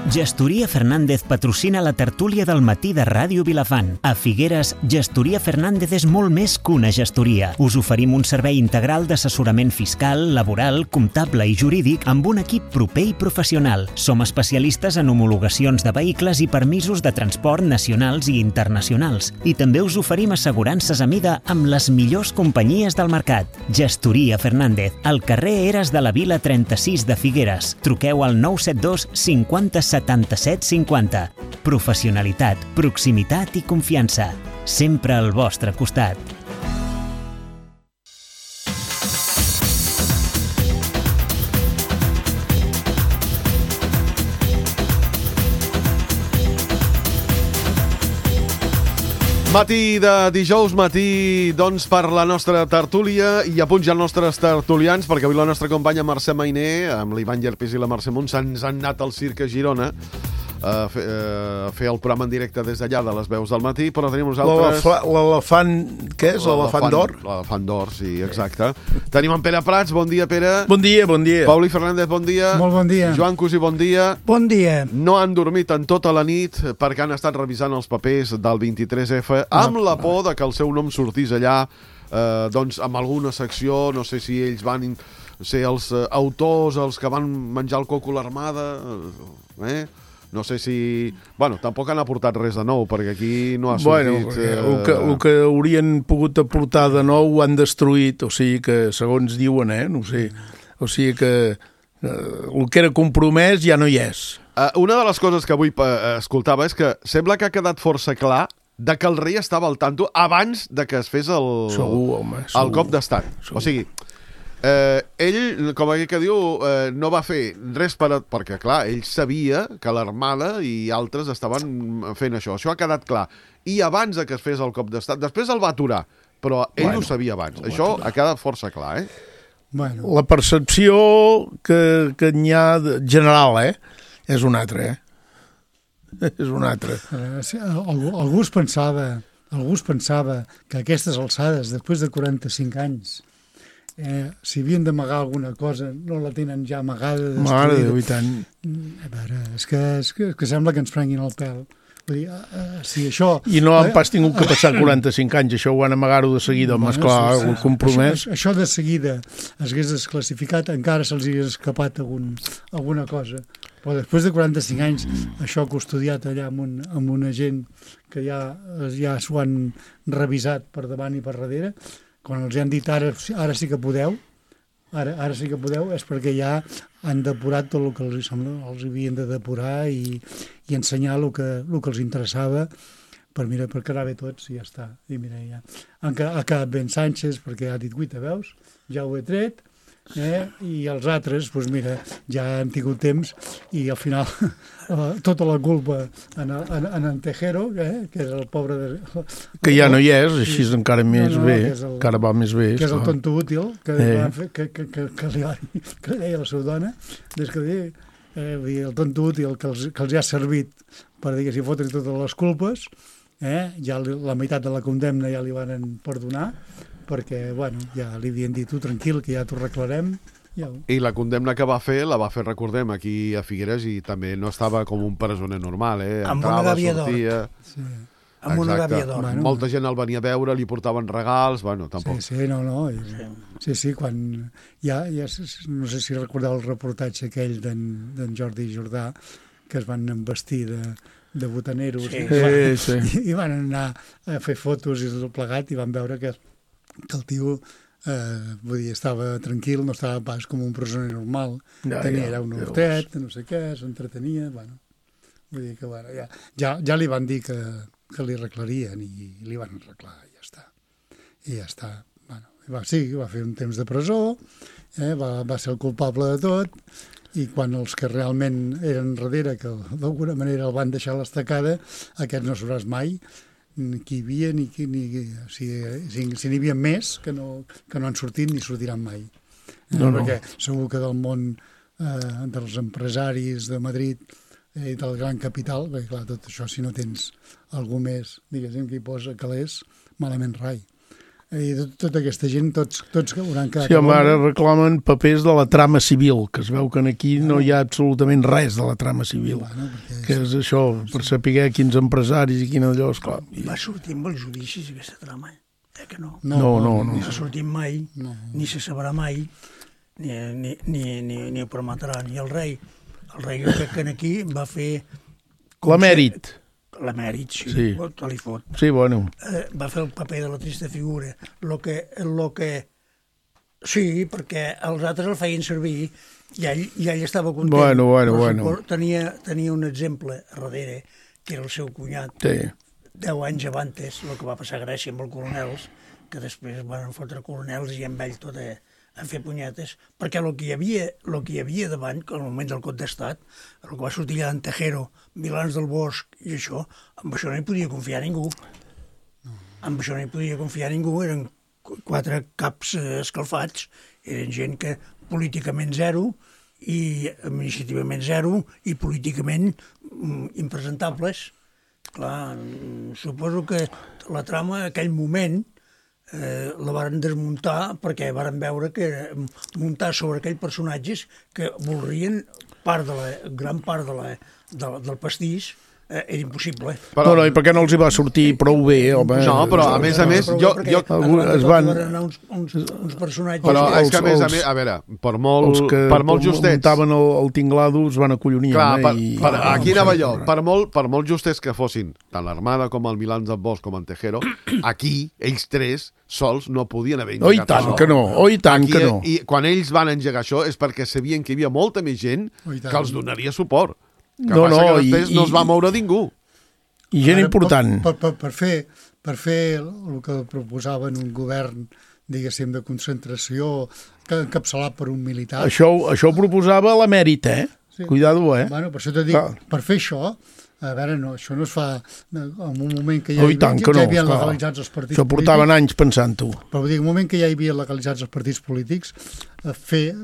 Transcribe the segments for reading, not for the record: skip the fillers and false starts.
Gestoria Fernández patrocina la tertúlia del matí de Ràdio Vilafant. A Figueres, Gestoria Fernández és molt més que una gestoria. Us oferim un servei integral d'assessorament fiscal, laboral, comptable i jurídic amb un equip proper i professional. Som especialistes en homologacions de vehicles i permisos de transport nacionals i internacionals. I també us oferim assegurances a mida amb les millors companyies del mercat. Gestoria Fernández, al carrer Eres de la Vila 36 de Figueres. Truqueu al 972 50 77 50. Professionalitat, proximitat i confiança. Sempre al vostre costat. Matí de dijous, matí doncs per la nostra tertúlia i a punt ja els nostres tertulians, perquè avui la nostra companya Mercè Mainer, amb l'Ivan Llerpis i la Mercè Montsà, ens han anat al Circ a Girona a fer el programa en directe des d'allà de les veus del matí, però tenim uns altres... L'elefant, què és? L'elefant d'or? L'elefant d'or, sí, exacte. Tenim en Pere Prats, bon dia, Pere. Bon dia, bon dia. Pauli Fernández, bon dia. Molt bon dia. Joan Cusí, bon dia. Bon dia. No han dormit en tota la nit perquè han estat revisant els papers del 23F amb la por de que el seu nom sortís allà doncs amb alguna secció, no sé si ells van ser els autors, els que van menjar el coco a l'armada, no sé si... Bueno, tampoc han aportat res de nou, perquè aquí no ha sortit... El que haurien pogut aportar de nou ho han destruït, o sigui que, segons diuen, no sé, o sigui que el que era compromès ja no hi és. Una de les coses que avui escoltava és que sembla que ha quedat força clar de que el rei estava al tanto abans de que es fes el cop d'estat. O sigui... ell, com aquell que diu, no va fer res perquè, clar, ell sabia que l'Armada i altres estaven fent això. Això ha quedat clar. I abans que es fes el cop d'estat, després el va aturar, però ell ho sabia abans. Això ha quedat força clar, Bueno. La percepció que n'hi ha general, és una altra, És una altra. Algú es pensava que a aquestes alçades, després de 45 anys, si havien d'amagar alguna cosa, no la tenen ja amagada, destruïda. Mare de Déu, i tant. A veure, és que sembla que ens prenguin el pèl. Vull dir, si això... I no han pas tingut que passar 45 anys, això ho van amagar-ho de seguida, home, esclar, el compromès. Això de seguida es hagués desclassificat, encara se'ls hagués escapat alguna cosa. Però després de 45 anys, això custodiat allà amb una gent que ja s'ho han revisat per davant i per darrere, quan els han dit ara sí que podeu, ara sí que podeu, és perquè ja han depurat tot el que els havien de depurar i ensenyar el que els interessava per quedar bé tots i ja està. I mira, ja ha quedat ben Sánchez perquè ha dit, guita, veus? Ja ho he tret, i els altres, doncs mira, ja han tingut temps i al final tota la culpa en Tejero, que és el pobre... Que ja no hi és, així és encara més bé, encara va més bé. Que és el tonto útil, que li deia la seva dona, des que el tonto útil que els ha servit per, diguéssim, fotre totes les culpes, ja la meitat de la condemna ja li van perdonar, perquè, bueno, ja li havien dit, tu tranquil, que ja t'ho arreglarem. I la condemna que va fer, recordem, aquí a Figueres, i també no estava com un presoner normal, amb una gàbia d'or. Sí. Amb una gàbia d'or. Bueno, molta gent el venia a veure, li portaven regals, bueno, tampoc. Sí, quan ja no sé si recordeu el reportatge aquell d'en Jordi Jordà, que es van vestir de botaneros i van anar a fer fotos i tot plegat i van veure que el tio estava tranquil, no estava pas com un presoner normal, tenia un hortet, no sé què, s'entretenia, vull dir que ja li van dir que li arreglarien i li van arreglar, i ja està. Va fer un temps de presó, va ser el culpable de tot, i quan els que realment eren darrere, que d'alguna manera el van deixar a l'estacada, aquests no sabràs mai qui hi havia, si n'hi havia més que no han sortit ni sortiran mai. Perquè segur que del món dels empresaris de Madrid i del gran capital, perquè clar, tot això si no tens algú més, diguéssim, que hi posa calés, malament rai. I tota aquesta gent, tots hauran quedat... Sí, home, ara reclamen papers de la trama civil, que es veu que aquí no hi ha absolutament res de la trama civil. Que és això, per saber quins empresaris i quin allò, esclar. Va sortir amb els judicis aquesta trama, que no? No. Ni s'ha sortit mai, ni se sabrà mai, ni ho permetrà, ni el rei. El rei que aquí va fer... L'emèrit. L'emèrit, sí. Te li fot. Sí, bueno. Va fer el paper de la trista figura. Sí, perquè els altres el feien servir i ell estava content. Bueno. Tenia un exemple a darrere, que era el seu cunyat. Sí. 10 anys abans, el que va passar a Grècia amb els coronels, que després van fotre coronels i amb ell tot a fer punyetes, perquè el que hi havia davant, que al moment del cop d'estat, el que va sortir allà d'en Tejero, Milans del Bosch i això, amb això no hi podia confiar ningú. Eren 4 caps escalfats, eren gent que políticament zero, i administrativament zero, i políticament impresentables. Clar, suposo que la trama, en aquell moment, la varen desmuntar perquè varen veure que muntar sobre aquells personatges que voldrien gran part del pastís era impossible. Però i per què no els hi va sortir prou bé, home? No, però a més, es van anar uns personatges... Però és que a més, a veure, per molt justets... muntaven el tinglado es van acollonir. Clar, aquí anava jo, per molt justets que fossin, tant l'Armada com el Milans del Bosch com el Tejero, aquí, ells tres sols no podien haver engegat això. I tant que no. I quan ells van engegar això és perquè sabien que hi havia molta més gent que els donaria suport. Que després no es va moure ningú. I gent important. Per fer el que proposaven un govern, diguéssim, de concentració, encapçalat per un militar... Això ho proposava l'emèrit, Sí. Cuidado, Bueno, per això t'ho dic, per fer això, a veure, no, això no es fa en un moment que ja havien legalitzats els partits polítics. Això portaven anys pensant-ho. Però vull dir, en un moment que ja hi havia legalitzats els partits polítics, fer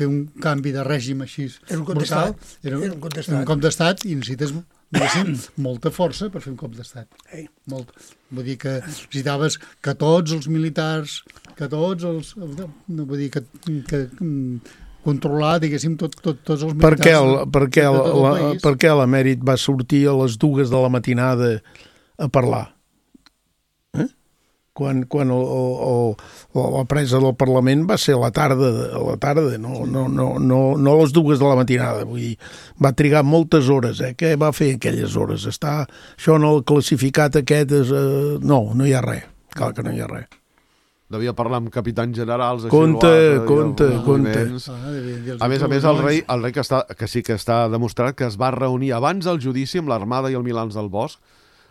un canvi de règim així brutal, era un cop d'estat i necessites, diguéssim, molta força per fer un cop d'estat. Vull dir que necessitaves que tots els militars, vull dir que controlar, diguéssim, tots els militars... Per què l'emèrit va sortir a les 2 de la matinada a parlar? Quan la presa del Parlament va ser a la tarda, no a les 2 de la matinada. Vull dir, va trigar moltes hores. Què va fer aquelles hores? Això en el classificat aquest... No hi ha res. Clar que no hi ha res. Devia parlar amb capitans generals... Compte. A més, el rei que sí que està demostrat que es va reunir abans del judici amb l'Armada i el Milans del Bosch,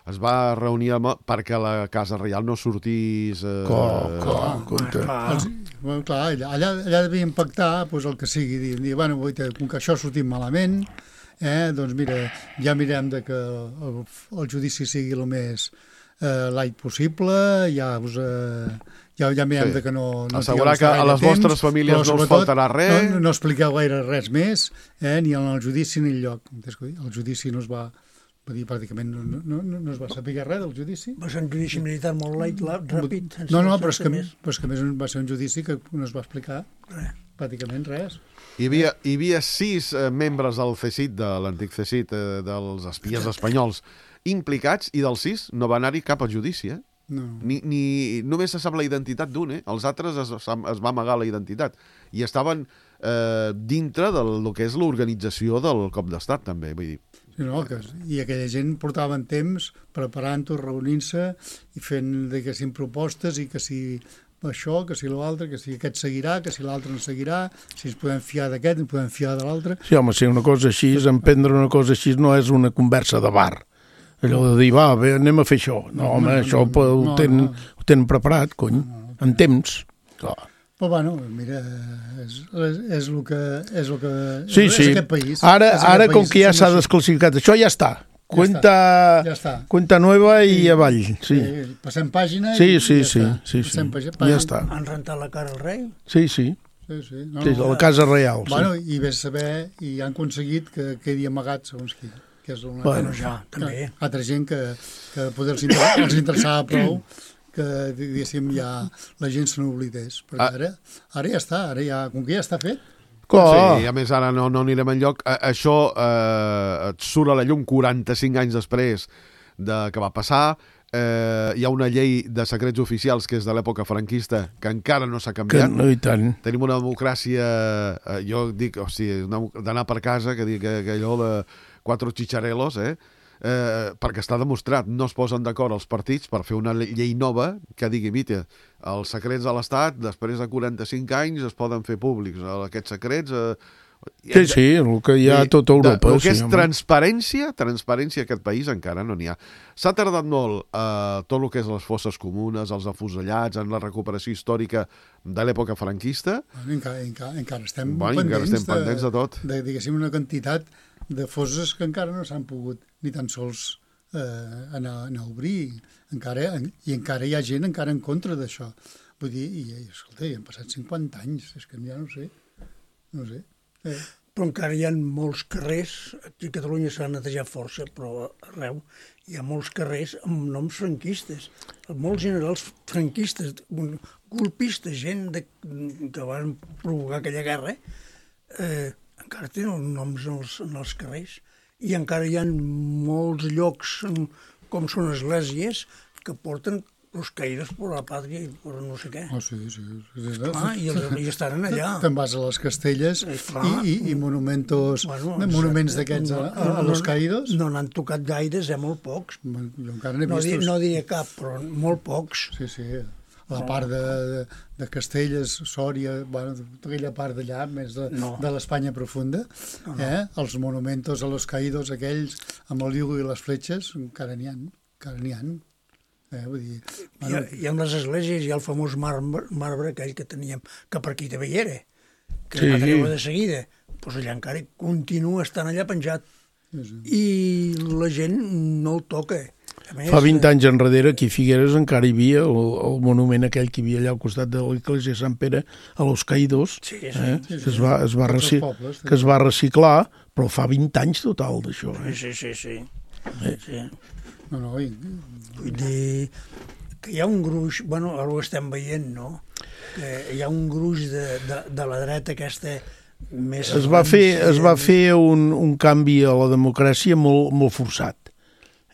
es va reunir perquè la Casa Reial no sortís... Clar, allà devien pactar el que sigui, dir, bueno, com que això ha sortit malament, doncs mira, ja mirem que el judici sigui el més light possible, ja mirem que no... Assegurar que a les vostres famílies no us faltarà res. No expliqueu gaire res més, ni en el judici ni enlloc. El judici no es va... pràcticament no es va saber res del judici. Va ser un judici militar molt light, ràpid. No, però és que a més va ser un judici que no es va explicar pràcticament res. Hi havia 6 membres del CSIC, de l'antic CSIC, dels espies espanyols, implicats, i dels 6 no va anar-hi cap a judici, No. Només se sap la identitat d'un, Els altres es va amagar la identitat. I estaven dintre del que és l'organització del cop d'estat, també, vull dir. I aquella gent portaven temps preparant-ho, reunint-se i fent, diguéssim, propostes, i que si això, que si l'altre, que si aquest seguirà, que si l'altre no seguirà, si ens podem fiar d'aquest, ens podem fiar de l'altre. Sí, home, si una cosa així, emprendre una cosa així no és una conversa de bar. Allò de dir, bé, anem a fer això. No, home, això ho tenen preparat, cony, en temps. Clar. Però, bueno, mira, és el que és aquest país. Ara com que ja s'ha desclassificat, això ja està. Cuenta nueva i avall. Sí. Passem pàgina i ja està. Han rentat la cara al rei? Sí. A la Casa Reial. Bueno, i ves saber, i han aconseguit que quedi amagat, segons qui. Que és una també. Altra gent que poder els interessava prou diguéssim, ja la gent se n'oblidés. Però ara ja està, com que ja està fet. Sí, a més ara no anirem enlloc. Això et surt a la llum 45 anys després que va passar. Hi ha una llei de secrets oficials que és de l'època franquista que encara no s'ha canviat. No, i tant. Tenim una democràcia, jo dic, d'anar per casa, que allò de quatre chicharelos, perquè està demostrat, no es posen d'acord els partits per fer una llei nova que digui, mira, els secrets de l'Estat després de 45 anys es poden fer públics, aquests secrets... Sí, el que hi ha a tota Europa. El que és transparència a aquest país encara no n'hi ha. S'ha tardat molt tot el que és les fosses comunes, els afusellats, en la recuperació històrica de l'època franquista. Encara estem pendents de tot. Diguéssim, una quantitat de fosses que encara no s'han pogut ni tan sols anar a obrir. I encara hi ha gent encara en contra d'això. Vull dir, escolta, han passat 50 anys, és que ja no sé. Però encara hi ha molts carrers, aquí a Catalunya s'ha netejat força, però arreu hi ha molts carrers amb noms franquistes, molts generals franquistes, golpistes, gent que van provocar aquella guerra, encara tenen noms en els carrers, i encara hi ha molts llocs, com són esglésies, que porten los caídos por la patria i per no sé què. Sí. I estaran allà. Te'n vas a les Castelles i monuments d'aquests a los caídos? No n'han tocat gaires, molt pocs. Jo encara n'he vist... No diria cap, però molt pocs. Sí. La part de Castelles, Sòria, tota aquella part d'allà, més de l'Espanya profunda, els monumentos a los caídos aquells, amb el Lligo i les fletxes, encara n'hi ha. Vull dir, I amb les esglésies hi ha el famós marbre aquell que teníem, que per aquí també hi era, que va treure de seguida. Doncs allà encara continua estant allà penjat. I la gent no el toca. Més, fa 20 anys enrere, aquí a Figueres encara hi havia el monument aquell que hi havia allà al costat de l'església de Sant Pere, a los Caídos, que es va reciclar, però fa 20 anys total d'això. Sí. Vull dir que hi ha un gruix, ara ho estem veient, no? Que hi ha un gruix de la dreta aquesta més... Es va fer un canvi a la democràcia molt forçat.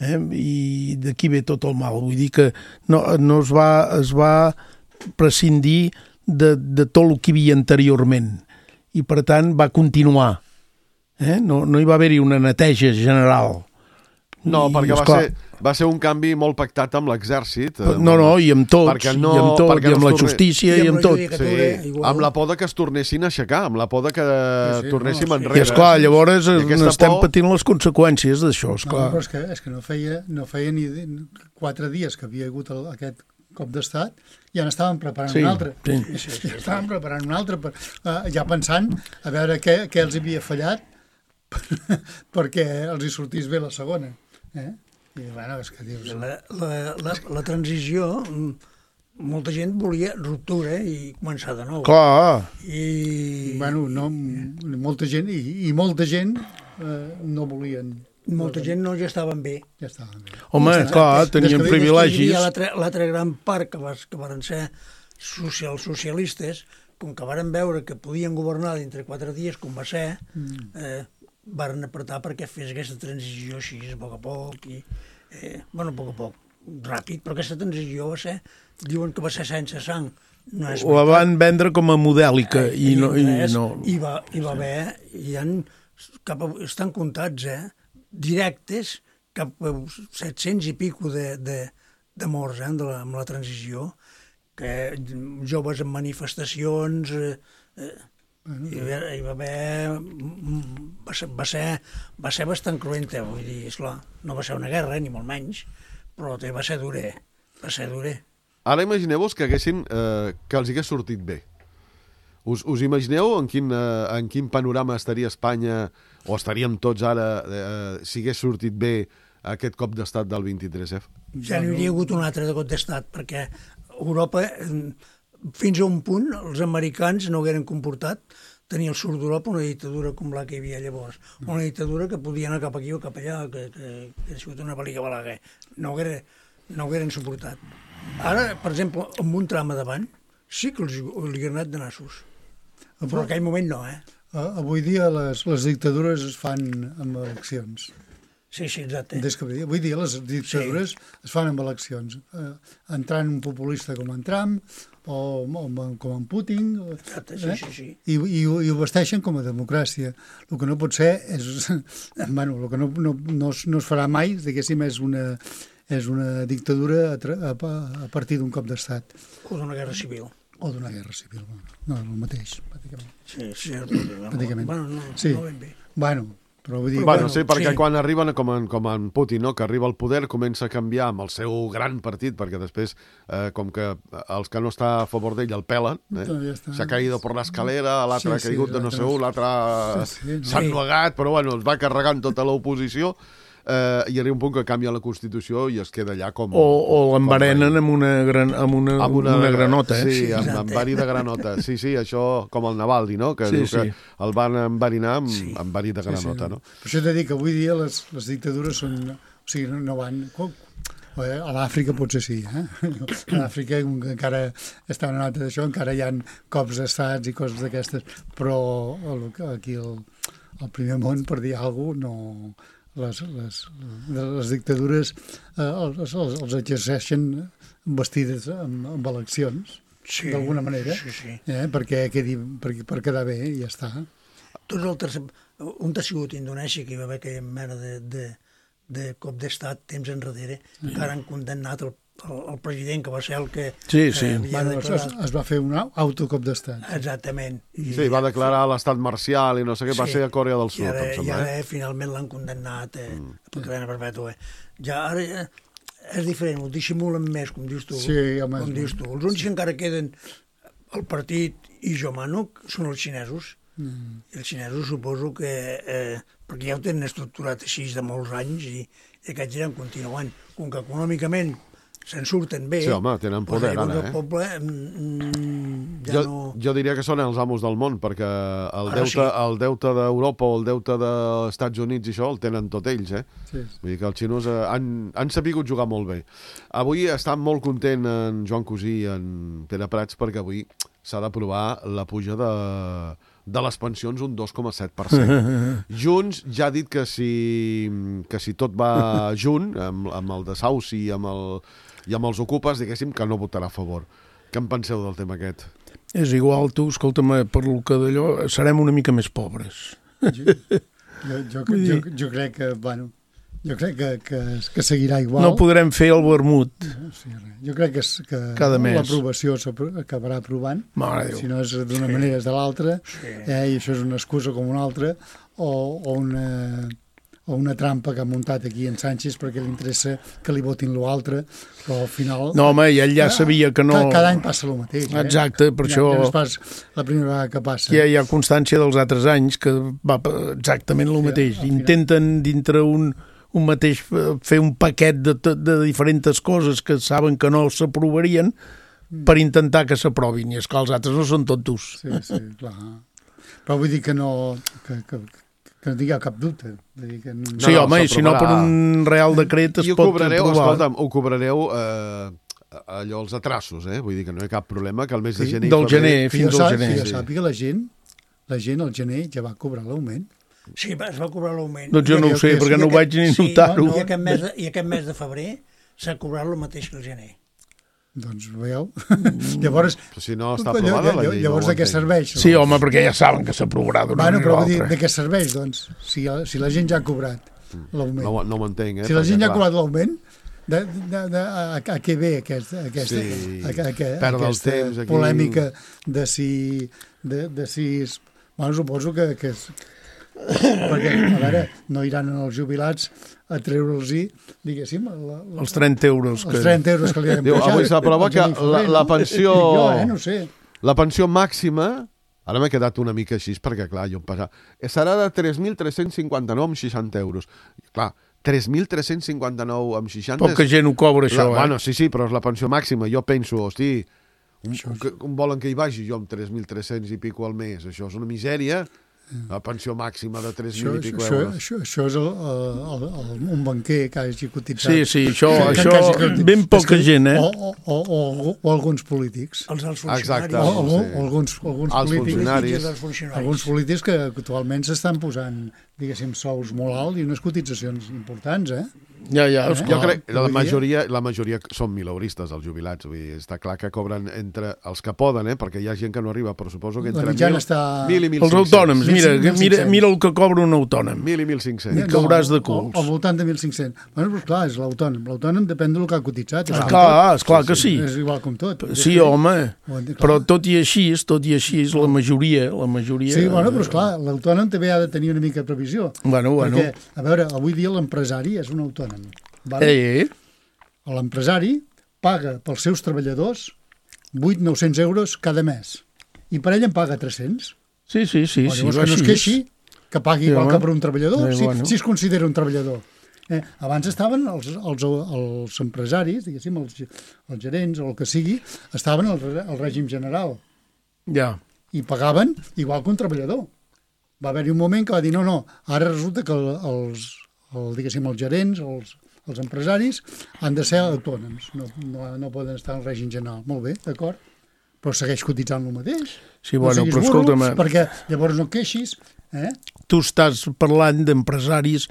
I d'aquí ve tot el mal. Vull dir que no es va prescindir de tot el que hi havia anteriorment. I per tant va continuar. No hi va haver-hi una neteja general. No, perquè va ser un canvi molt pactat amb l'exèrcit. I amb tots, i amb la justícia, i amb tot. Sí, amb la por que es tornessin a aixecar, amb la por que tornéssim enrere. I esclar, llavors estem patint les conseqüències d'això, esclar. Però és que no feia ni 4 dies que havia hagut aquest cop d'estat, ja n'estàvem preparant un altre. Ja estàvem preparant un altre, ja pensant a veure què els havia fallat perquè els hi sortís bé la segona. I és que dius... La transició, molta gent volia ruptura i començar de nou. Clar. Molta gent no volien. Molta gent no ja estaven bé. Home, clar, tenien privilegis. Hi havia l'altre gran part que van ser socialistes, com que varen veure que podien governar dintre 4 dies, com va ser, varen apretar perquè fes aquesta transició així, a poc a poc, a poc a poc, ràpid, però aquesta transició va ser, diuen que va ser sense sang. Ho van vendre com a modèlica i no... Hi va haver, estan comptats, directes, cap a 700 i pico de morts amb la transició, que joves en manifestacions... va ser bastant cruenta, vull dir, esclar, no va ser una guerra, ni molt menys, però va ser dura. Ara imagineu-vos que els hagués sortit bé. Us imagineu en quin panorama estaria Espanya, o estaríem tots ara, si hagués sortit bé aquest cop d'estat del 23F? Ja n'hi hauria hagut un altre de cop d'estat, perquè Europa... Fins a un punt, els americans no hagueren comportat tenir al sud d'Europa una dictadura com la que hi havia llavors. Una dictadura que podia anar cap aquí o cap allà, que ha sigut una pel·lícula balaga. No no ho hagueren suportat. Ara, per exemple, amb un tram a davant, sí que li hagueren anat de nassos. Però en aquell moment no, Avui dia les dictadures es fan amb eleccions. Sí, exacte. Avui dia les dictadures es fan amb eleccions. Entrant un populista com en Trump o com en Putin. Exacte, sí. I ho vesteixen com a democràcia. El que no pot ser és... Bueno, el que no es farà mai, diguéssim, és una dictadura a partir d'un cop d'estat. O d'una guerra civil. No, el mateix, pràcticament. Sí, pràcticament. Bueno, no ben bé. Bueno, però vull dir... Bueno, sí, perquè quan arriben, com en Putin, no?, que arriba al poder, comença a canviar amb el seu gran partit, perquè després, com que els que no està a favor d'ell el pelen, s'ha caído por l'escalera, l'altre ha caigut de no sé on, l'altre s'ha ennuegat, però bueno, es va carregant tota l'oposició, i arriba un punt que canvia la Constitució i es queda allà com... O l'enverenen amb una granota, Sí, amb verí de granota. Sí, això com el Navalny, no?, que diu que el van enverinar amb verí de granota, no? Per això t'he dit que avui dia les dictadures són... O sigui, no van... A l'Àfrica potser sí, A l'Àfrica encara està una nota d'això, encara hi ha cops d'estats i coses d'aquestes, però aquí al primer món, per dir alguna cosa, no... Les dictadures els exerceixen vestides amb eleccions, d'alguna manera, perquè per quedar bé i ja està. Un ha sigut Indonèsia, que hi va haver aquella mena de cop d'estat temps enrere, que ara han condemnat el president, que va ser el que... Sí. Es va fer un autocop d'estat. Exactament. Sí, va declarar l'estat marcial i no sé què, va ser a Corea del Sud, em sembla. I ara finalment l'han condemnat a cadena perpètua. Ja ara és diferent, ho dissimulen més, com dius tu. Sí, home. Com dius tu. Els únics que encara queden el partit i jo mano són els xinesos. I els xinesos suposo que... perquè ja ho tenen estructurat així de molts anys i aquests iran continuant. Com que econòmicament se'n surten bé... Sí, home, tenen poder, ara, el poble jo diria que són els amos del món, perquè el deute d'Europa o el deute dels Estats Units i això el tenen tot ells, Sí. Vull dir que els xinos han sabut jugar molt bé. Avui està molt content en Joan Cosí i en Pere Prats perquè avui s'ha d'aprovar la puja de les pensions un 2,7%. Junts ja ha dit que si tot va junt, amb el desahuci i amb els ocupes, diguéssim que no votarà a favor. Què en penseu del tema aquest? És igual, tu, escolta'm, per lo que d'allò, serem una mica més pobres. Jo crec que, bueno, jo crec que seguirà igual. No podrem fer el vermut. Jo crec que l'aprovació s'acabarà aprovant, si no és d'una manera és de l'altra, i això és una excusa com una altra, o una trampa que ha muntat aquí en Sánchez perquè li interessa que li votin l'altre, però al final... No, home, i ell ja sabia que no... Cada any passa el mateix. Exacte, per això... No és pas la primera vegada que passa. Hi ha constància dels altres anys que va exactament el mateix. Intenten dintre un mateix fer un paquet de diferents coses que saben que no s'aprovarien per intentar que s'aprovin, i és que els altres no són tontos. Sí, clar. Però vull dir que no... que no tingueu cap dubte. Sí, home, i si no per un real decret es pot aprovar. Escolta'm, ho cobrareu allò, els atrasos, vull dir que no hi ha cap problema, que el mes de gener... Del gener, fins al gener. Que jo sàpiga, la gent al gener ja va cobrar l'augment. Sí, es va cobrar l'augment. Doncs jo no ho sé, perquè no ho vaig ni notar-ho. I aquest mes de febrer s'ha cobrat el mateix que el gener. Doncs veieu? Llavors... Però si no està aprovada la llei. Llavors de què serveix? Sí, home, perquè ja saben que s'aprovarà d'una manera o altra. Però de què serveix, doncs? Si la gent ja ha cobrat l'augment. No ho entenc, Si la gent ja ha cobrat l'augment, a què ve aquesta polèmica de si... Bueno, suposo que perquè, a veure, no iran als jubilats a treure'ls-hi, diguéssim, els 30 euros. Els 30 euros que li han pujat. Avui s'aprova que la pensió... No sé. La pensió màxima, ara m'he quedat una mica així, perquè, clar, jo em passa... Serà de 3.359,60 euros. Clar, 3.359,60... Poca gent ho cobra, això, Bueno, sí, però és la pensió màxima. Jo penso, hosti, volen que hi vagi jo amb 3.300 i pico al mes? Això és una misèria. La pensió màxima de 3.000 i pico euros. Això és un banquer que hagi cotitzat. Sí, això ben poca gent, O alguns polítics. Els funcionaris. Exacte. O alguns funcionaris. Alguns polítics que actualment s'estan posant, diguéssim, sous molt alts i unes cotitzacions importants, Ja, jo crec que la majoria són mileuristes, els jubilats. Vull dir, està clar que cobren entre els que poden, perquè hi ha gent que no arriba, però suposo que entre 1.000 i 1.500. Els autònoms, mira el que cobra un autònom. 1.000 i 1.500. I cauràs de culs. Al voltant de 1.500. Bueno, però clar, és l'autònom. L'autònom depèn del que ha cotitzat. Esclar que sí. És igual com tot. Sí, home, però tot i així, la majoria... Sí, bueno, però esclar, l'autònom també ha de tenir una mica de previsió. Bueno. Perquè, a veure, avui dia l'empresari és un autònom. Vale? L'empresari paga pels seus treballadors 800-900 euros cada mes. I per ell en paga 300. Sí. Llavors que no es queixi, que pagui igual que per un treballador, si es considera un treballador. Abans estaven els empresaris, diguéssim, els gerents o el que sigui, estaven al règim general. Ja. I pagaven igual que un treballador. Va haver-hi un moment que va dir no, ara resulta que els gerents, els empresaris han de ser autònoms, no poden estar en règim general. Molt bé, d'acord, però segueix cotitzant el mateix. Sí, bueno, però escolta'm... Perquè llavors no queixis, Tu estàs parlant d'empresaris,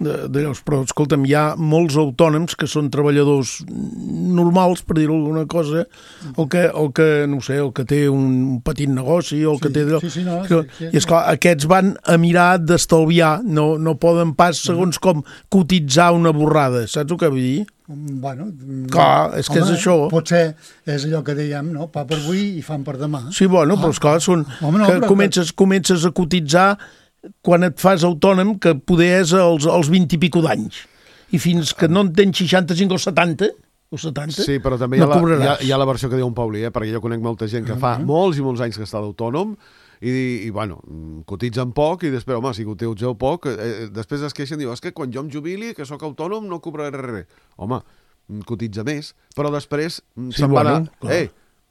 però escolta'm, hi ha molts autònoms que són treballadors normals, per dir-ho alguna cosa, o que, no sé, el que té un petit negoci, o el que té... I esclar, aquests van a mirar d'estalviar, no poden pas, segons com, cotitzar una borrada, saps el que vull dir? Bueno, clar, és que és això. Potser és allò que dèiem, no? Pa per avui i fam per demà. Sí, bueno, però esclar, comences a cotitzar quan et fas autònom, que poder és als 20 i pico d'anys. I fins que no en tens 65 o 70... Sí, però també hi ha la versió que diu un Pauli, perquè jo conec molta gent que fa molts i molts anys que està d'autònom i bueno, cotitzen poc i després, home, si cotitzeu poc, després es queixen i diuen, és que quan jo em jubili, que sóc autònom, no cobraré res. Home, cotitza més, però després se'n va anar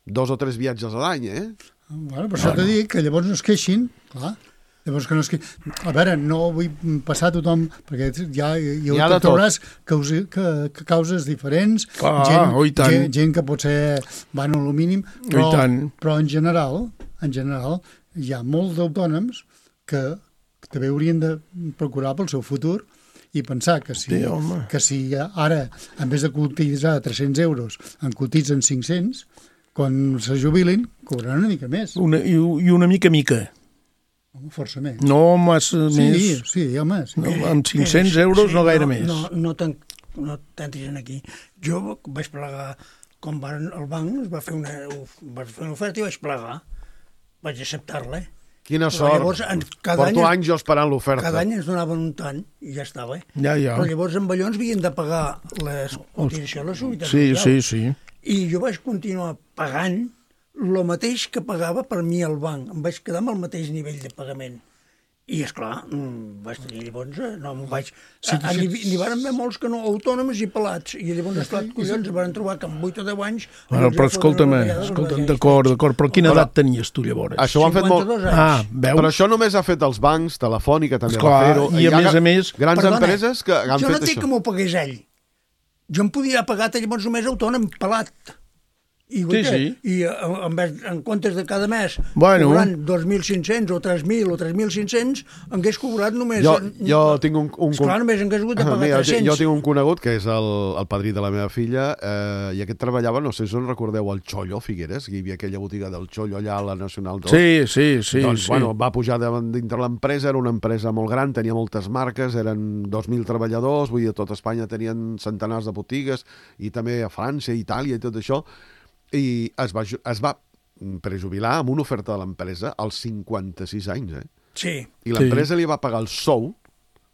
2 o 3 viatges a l'any, Bueno, però això t'he dit que llavors no es queixin, clar. Llavors que no es queixin. A veure, no vull passar a tothom, perquè ja trobaràs causes diferents, gent que potser van a lo mínim, però en general hi ha molts d'autònoms que també haurien de procurar pel seu futur i pensar que si ara, en vez de cotitzar 300 euros, en cotitzen 500, quan se jubilin, cobraran una mica més. I una mica. Força més. No massa més. Sí, home. Sí. No, amb 500 euros no gaire més. No tantis aquí. Jo vaig plegar, quan el banc es va fer una oferta i vaig plegar. Vaig acceptar-la. Quina sort. Porto anys jo esperant l'oferta. Cada any ens donaven un tant i ja estava. Ja. Però llavors amb allò ens havien de pagar les cotitzacions, la seguretat. Sí. I jo vaig continuar pagant el mateix que pagava per mi al banc. Em vaig quedar amb el mateix nivell de pagament. I, esclar, vaig tenir llavors... No m'ho vaig... N'hi van haver molts que no, autònoms i pelats. I llavors, esclar, collons, van trobar que amb 8 o 10 anys... Però escolta'm, d'acord, però quina edat tenies tu llavors? Això ho han fet molt... Veus? Però això només ha fet els bancs, Telefònica també va fer-ho. I a més... Grans empreses que han fet això. Jo no entenc que m'ho pagués ell. Jo em podia pagar llavors només autònom, pelat. I en comptes de cada mes cobrant 2.500 o 3.000 o 3.500 hagués cobrat només... Jo tinc un... Esclar, només hagués hagut de pagar 300. Jo tinc un conegut que és el padrí de la meva filla i aquest treballava, no sé si us recordeu, al Chollo, Figueres, hi havia aquella botiga del Chollo allà a la Nacional 2. Sí. Doncs, bueno, va pujar dintre l'empresa, era una empresa molt gran, tenia moltes marques, eren 2.000 treballadors, vull dir, a tot Espanya tenien centenars de botigues i també a França, Itàlia i tot això. I es va prejubilar amb una oferta de l'empresa als 56 anys, Sí. I l'empresa li va pagar el sou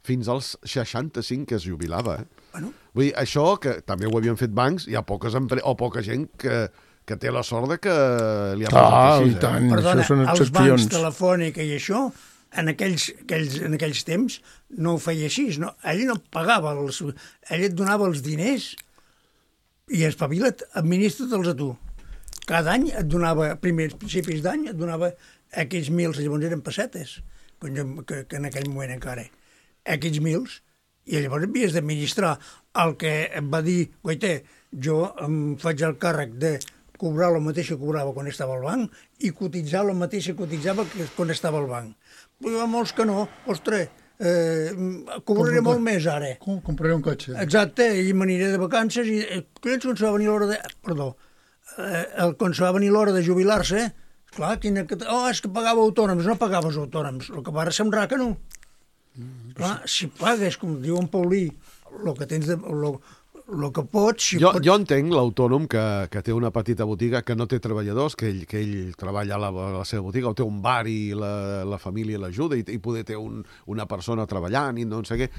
fins als 65 que es jubilava, Bueno. Vull dir, això, que també ho havien fet bancs, hi ha poca gent que té la sort de que li ha passat així. Tant, perdona, això són excepcions. Els bancs, Telefònica i això, en aquells temps no ho feia així. No? Ell no pagava, ell et donava els diners i espavila't, administra-te'ls a tu. Cada any et donava, principis d'any, et donava aquells 1.000, llavors eren pessetes. que en aquell moment encara, X mils, i llavors havies d'administrar. El que em va dir, guaita, jo em faig el càrrec de cobrar el mateix que cobrava quan estava al banc i cotitzar el mateix que cotitzava quan estava al banc. Però hi ha molts que no, ostres, cobraré molt més ara. Compraré un cotxe. Exacte, i m'aniré de vacances i quan se va venir l'hora de... Perdó, quan se va venir l'hora de jubilar-se, clar, és que pagava autònoms, no pagaves autònoms, el que va sembrar que no. Clar, si pagues, com diu en Paulí, el que tens de... el que pots... Jo entenc l'autònom que té una petita botiga, que no té treballadors, que ell treballa a la seva botiga, o té un bar i la família l'ajuda, i poder té una persona treballant i no sé què,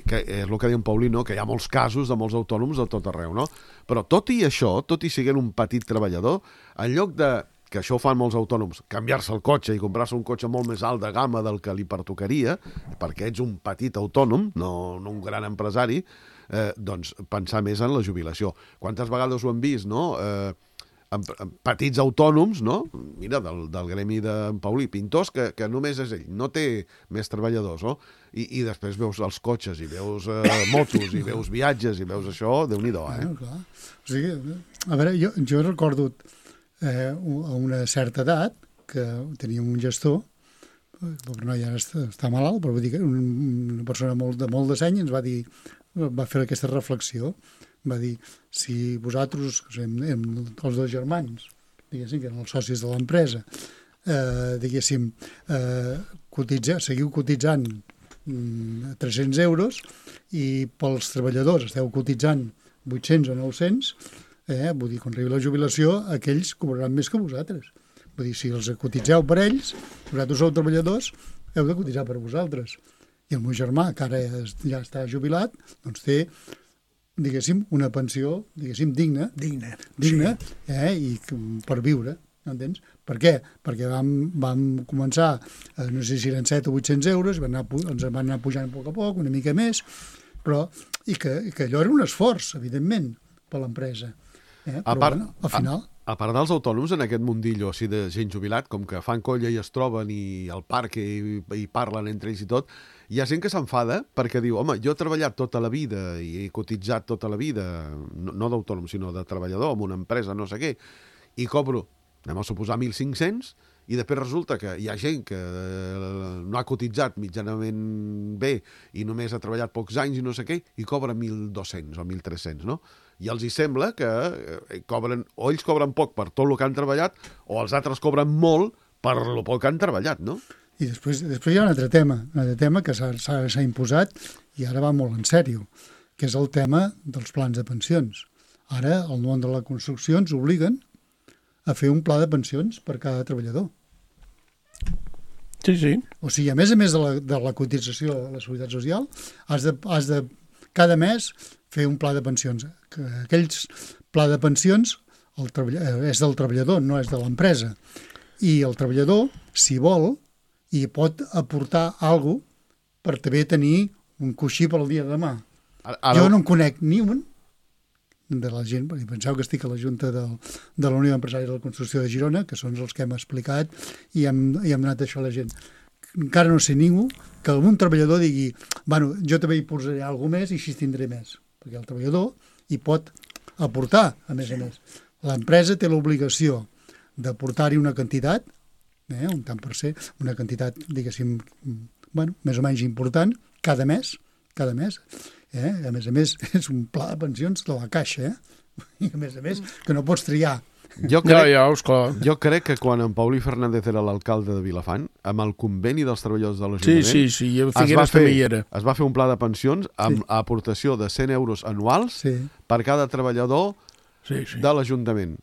que és el que diu en Paulí, no? Que hi ha molts casos de molts autònoms de tot arreu, no? Però tot i això, tot i siguent un petit treballador, en lloc de, que això ho fan molts autònoms, canviar-se el cotxe i comprar-se un cotxe molt més alt de gamma del que li pertocaria, perquè ets un petit autònom, no un gran empresari, doncs pensar més en la jubilació. Quantes vegades ho hem vist, no? Petits autònoms, no? Mira, del gremi d'en Paulí, pintors, que només és ell, no té més treballadors, no? I després veus els cotxes, i veus motos, i veus viatges, i veus això, Déu-n'hi-do, Clar. O sigui, a veure, jo recordo a una certa edat que teníem un gestor, però no, ja està malalt, però vull dir que una persona de molt de seny ens va fer aquesta reflexió. Va dir, si vosaltres, els dos germans, diguéssim, que eren els socis de l'empresa, diguéssim, seguiu cotitzant 300 euros i pels treballadors esteu cotitzant 800 o 900, vull dir, quan arribi la jubilació, aquells cobraran més que vosaltres. Vull dir, si els cotitzeu per ells, vosaltres sou treballadors, heu de cotitzar per vosaltres. I el meu germà, que ara ja està jubilat, doncs té, diguéssim, una pensió, diguéssim, digna, sí. I per viure, entens? Per què? Perquè vam començar, no sé si eren 7 o 800 euros, ens van anar pujant a poc, una mica més, però, i que allò era un esforç, evidentment, per l'empresa. Però, bueno, al final... A part dels autònoms, en aquest mundillo així de gent jubilat, com que fan colla i es troben i al parc i parlen entre ells i tot, hi ha gent que s'enfada perquè diu, home, jo he treballat tota la vida i he cotitzat tota la vida, no d'autònom, sinó de treballador en una empresa, no sé què, i cobro, anem a suposar, 1.500, i després resulta que hi ha gent que no ha cotitzat mitjanament bé i només ha treballat pocs anys i no sé què, i cobra 1.200 o 1.300, no? I els hi sembla que o ells cobren poc per tot el que han treballat o els altres cobren molt per el poc que han treballat, no? I després hi ha un altre tema que s'ha imposat i ara va molt en sèrio, que és el tema dels plans de pensions. Ara el món de la construcció ens obliguen a fer un pla de pensions per cada treballador. Sí. O sigui, a més de la cotització a la Seguretat Social, has de cada mes fer un pla de pensions. Aquells pla de pensions és del treballador, no és de l'empresa. I el treballador, si vol, hi pot aportar alguna cosa per també tenir un coixí pel dia de demà. Jo no en conec ni un de la gent, perquè penseu que estic a la Junta de la Unió d'Empresaris de la Construcció de Girona, que són els que hem explicat i hem donat això a la gent. Encara no sé ningú que algun treballador digui, bueno, jo també hi posaré alguna més i així tindré més. Perquè el treballador hi pot aportar, a més a més. L'empresa té l'obligació d'aportar-hi una quantitat, un tant per cent, una quantitat, diguéssim, més o menys important, cada mes. A més, és un pla de pensions de la Caixa, i a més, que no pots triar. Jo crec que quan en Paulí Fernández era l'alcalde de Vilafant, amb el conveni dels treballadors de l'Ajuntament, sí, a Figueres també hi era. Es va fer un pla de pensions amb aportació de 100 euros anuals per cada treballador de l'Ajuntament.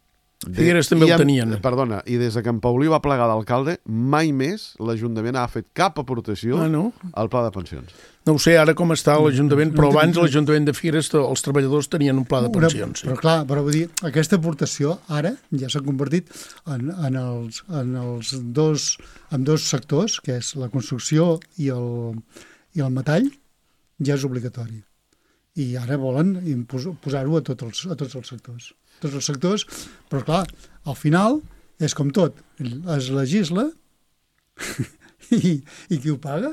Figueres també ho tenien. Perdona, i des que en Paulí va plegar d'alcalde, mai més l'Ajuntament ha fet cap aportació al pla de pensions. No ho sé ara com està l'Ajuntament, però abans l'Ajuntament de Figueres els treballadors tenien un pla de pensions. Però clar, vull dir, aquesta aportació ara ja s'ha convertit en els dos sectors, que és la construcció i el metall, ja és obligatori. I ara volen posar-ho a tots els sectors. Tots els sectors, però clar, al final és com tot, es legisla I qui ho paga?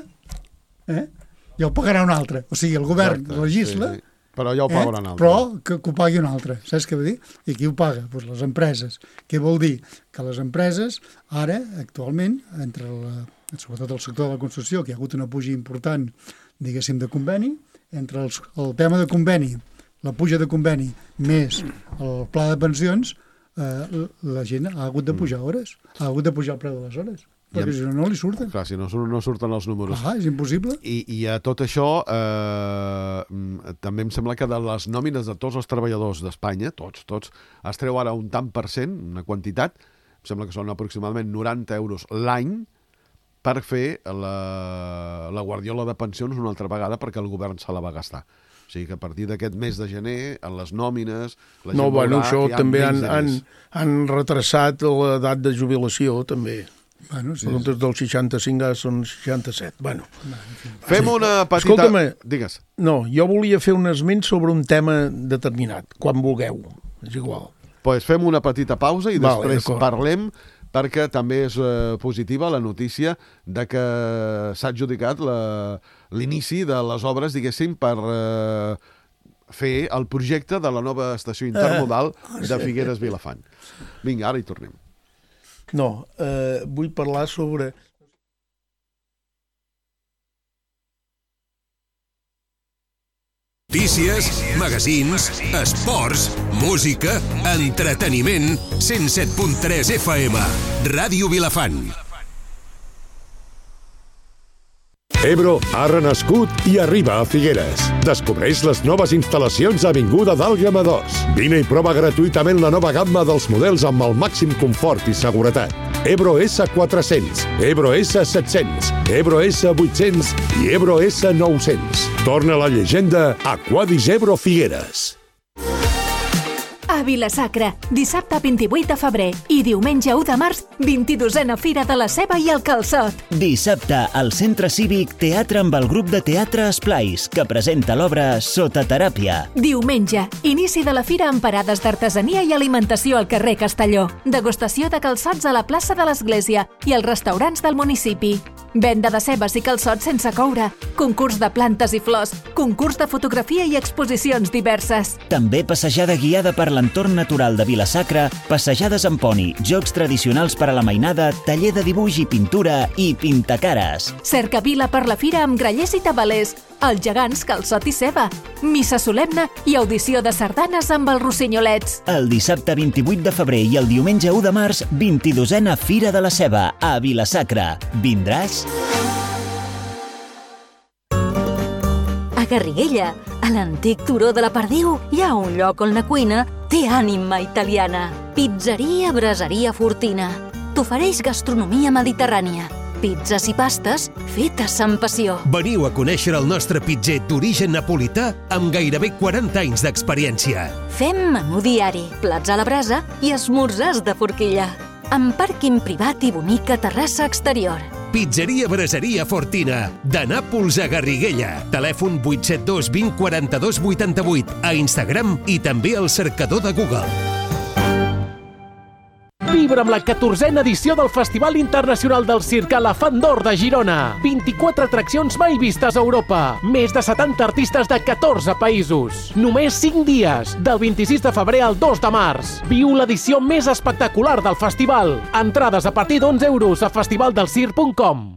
Ja ho pagarà un altre. O sigui, el govern legisla... Sí. Però ja ho pagarà un altre. Però que ho pagui un altre. Saps què vol dir? I qui ho paga? Doncs les empreses. Què vol dir? Que les empreses, ara, actualment, sobretot el sector de la construcció, que hi ha hagut una puja important, diguéssim, de conveni, entre el tema de conveni, la puja de conveni, més el pla de pensions, la gent ha hagut de pujar hores, ha hagut de pujar el preu de les hores. Perquè si no li surten. Clar, si no surten els números. És impossible. I a tot això, també em sembla que de les nòmines de tots els treballadors d'Espanya, tots, es treu ara un tant per cent, una quantitat, em sembla que són aproximadament 90 euros l'any, per fer la guardiola de pensions una altra vegada perquè el govern se la va gastar. O sigui que a partir d'aquest mes de gener, en les nòmines... això també han retrasat l'edat de jubilació, també. Sí. Dels 65 ara són 67. Fem una petita... Escolta'm, digues. No, jo volia fer un esment sobre un tema determinat, quan vulgueu, és igual. Pues fem una petita pausa i després parlem, perquè també és positiva la notícia de que s'ha adjudicat l'inici de les obres, diguéssim, per fer el projecte de la nova estació intermodal de Figueres-Vilafant. Vinga, ara hi tornem. No, vull parlar sobre... Notícies, magazins, esports, música, entreteniment, 107.3 FM, Ràdio Vilafant. Ebro ha renascut i arriba a Figueres. Descobreix les noves instal·lacions a Avinguda d'Àlguema 2. Vine i prova gratuïtament la nova gamma dels models amb el màxim confort i seguretat. Ebro S400, Ebro S700, Ebro S800 i Ebro S900. Torna la llegenda a Quadis Ebro Figueres. A Vila-sacra, dissabte 28 de febrer i diumenge 1 de març, 22a Fira de la Ceba i el Calçot. Dissabte, al Centre Cívic, teatre amb el grup de teatre Esplais, que presenta l'obra Sota teràpia. Diumenge, inici de la fira amb parades d'artesania i alimentació al carrer Castelló. Degustació de calçots a la plaça de l'Església i als restaurants del municipi. Venda de cebes i calçots sense coure, concurs de plantes i flors, concurs de fotografia i exposicions diverses. També passejada guiada per l'entorn natural de Vila-sacra, passejades amb poni, jocs tradicionals per a la mainada, taller de dibuix i pintura i pintacares. Cercavila per la fira amb grallers i tabalers, els gegants calçot i ceba, missa solemne i audició de sardanes amb els rossinyolets. El dissabte 28 de febrer i el diumenge 1 de març, 22a Fira de la Ceba, a Vila-sacra. Vindràs? A Garriguella, a l'antic turó de la Perdiu, hi ha un lloc on la cuina té ànima italiana. Pizzeria Braseria Fortina. T'ofereix gastronomia mediterrània. Pizzas i pastes fetes amb passió. Veniu a conèixer el nostre pitzer d'origen napolità amb gairebé 40 anys d'experiència. Fem menú diari, plats a la brasa i esmorzars de forquilla. Amb pàrquing privat i bonica terrassa exterior. Pizzeria Braseria Fortina, de Nàpols a Garriguella. Telèfon 872 20 42 88, a Instagram i també al cercador de Google. Vibra amb la 14a edició del Festival Internacional del Circ Elefant d'Or de Girona. 24 atraccions mai vistes a Europa. Més de 70 artistes de 14 països. Només 5 dies, del 26 de febrer al 2 de març. Viu l'edició més espectacular del festival. Entrades a partir d'11 euros a festivaldelcirc.com.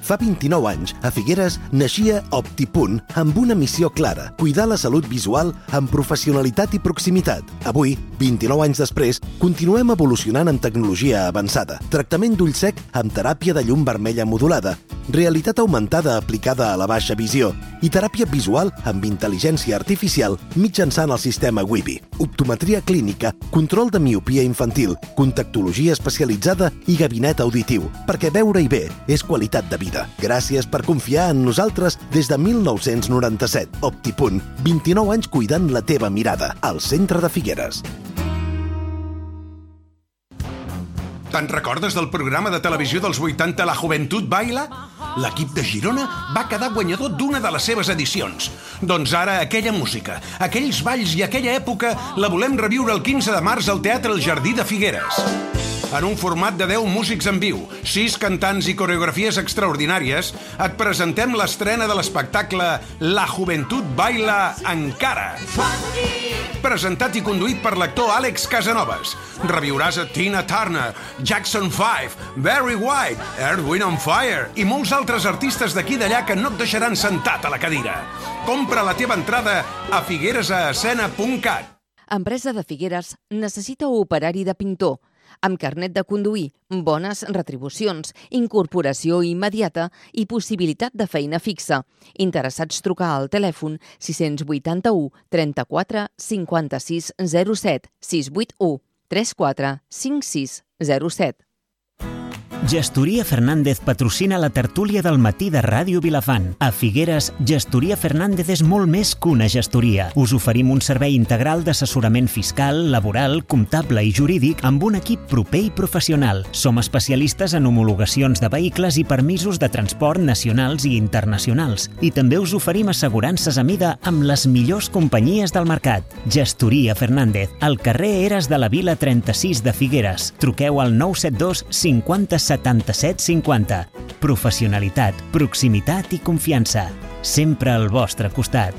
Fa 29 anys, a Figueres, naixia OptiPunt amb una missió clara, cuidar la salut visual amb professionalitat i proximitat. Avui, 29 anys després, continuem evolucionant en tecnologia avançada. Tractament d'ull sec amb teràpia de llum vermella modulada, realitat augmentada aplicada a la baixa visió i teràpia visual amb intel·ligència artificial mitjançant el sistema Wibi. Optometria clínica, control de miopia infantil, contactologia especialitzada i gabinet auditiu, perquè veure-hi bé és qualitat de vida. Gràcies per confiar en nosaltres des de 1997. OptiPunt, 29 anys cuidant la teva mirada, al centre de Figueres. Te'n recordes del programa de televisió dels 80 La Juventud Baila? l'equip de Girona va quedar guanyador d'una de les seves edicions. Doncs ara aquella música, aquells balls i aquella època la volem reviure el 15 de març al Teatre El Jardí de Figueres. En un format de 10 músics en viu, 6 cantants i coreografies extraordinàries, et presentem l'estrena de l'espectacle La Juventud Baila Encara. Presentat i conduït per l'actor Àlex Casanovas. Reviuràs a Tina Turner, Jackson 5, Barry White, Earth, Wind and Fire i molts altres artistes d'aquí i d'allà que no et deixaran sentat a la cadira. Compra la teva entrada a figueresascena.cat. Empresa de Figueres necessita operari de pintor, amb carnet de conduir, bones retribucions, incorporació immediata i possibilitat de feina fixa. Interessats trucar al telèfon 681 34 56 07 681 34 56 07. Gestoria Fernández patrocina la tertúlia del matí de Ràdio Vilafant. A Figueres, Gestoria Fernández és molt més que una gestoria. Us oferim un servei integral d'assessorament fiscal, laboral, comptable i jurídic amb un equip proper i professional. Som especialistes en homologacions de vehicles i permisos de transport nacionals i internacionals. I també us oferim assegurances a mida amb les millors companyies del mercat. Gestoria Fernández, al carrer Eres de la Vila 36 de Figueres. Truqueu al 972 50 77 50. Professionalitat, proximitat i confiança. Sempre al vostre costat.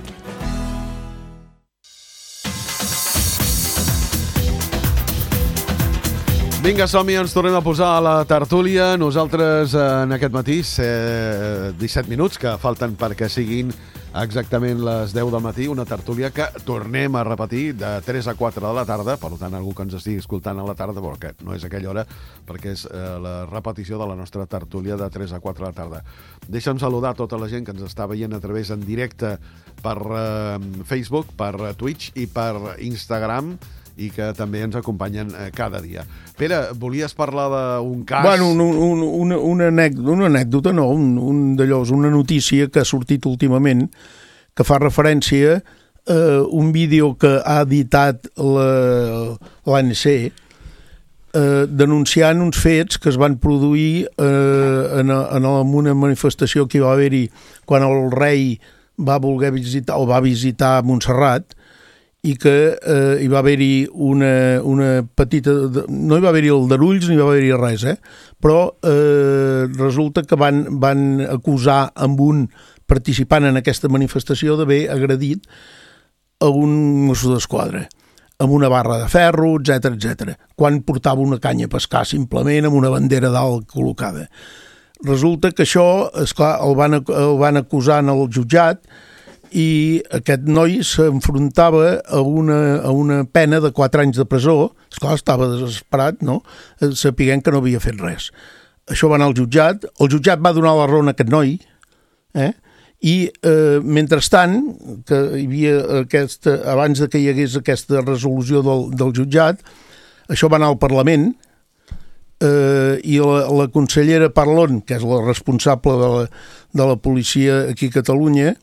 Vinga, som-hi, ens tornem a posar a la tertúlia. Nosaltres en aquest matí, 17 minuts que falten perquè siguin exactament les 10 del matí, una tertúlia que tornem a repetir de 3 a 4 de la tarda, per tant, algú que ens estigui escoltant a la tarda, però que no és aquella hora, perquè és la repetició de la nostra tertúlia de 3 a 4 de la tarda. Deixa'm saludar tota la gent que ens està veient a través en directe per Facebook, per Twitch i per Instagram, i que també ens acompanyen cada dia. Pere, volies parlar d'un cas... Bueno, una anècdota, no, una notícia que ha sortit últimament que fa referència a un vídeo que ha editat l'ANC denunciant uns fets que es van produir en una manifestació que va haver-hi quan el rei va voler visitar o va visitar Montserrat, i que hi va haver-hi una petita... No hi va haver-hi aldarulls ni va haver-hi res, però resulta que van acusar amb un participant en aquesta manifestació d'haver agredit a un mosso d'esquadra amb una barra de ferro, etc, quan portava una canya a pescar simplement amb una bandera dalt col·locada. Resulta que això, esclar, el van acusar en el jutjat i aquest noi s'enfrontava a una pena de 4 anys de presó. Esclar, estava desesperat, no? Sapiguent que no havia fet res. Això va anar al jutjat. El jutjat va donar la raó a aquest noi, i mentrestant, que hi havia abans que hi hagués aquesta resolució del jutjat, això va anar al Parlament, i la consellera Parlon, que és la responsable de la policia aquí a Catalunya,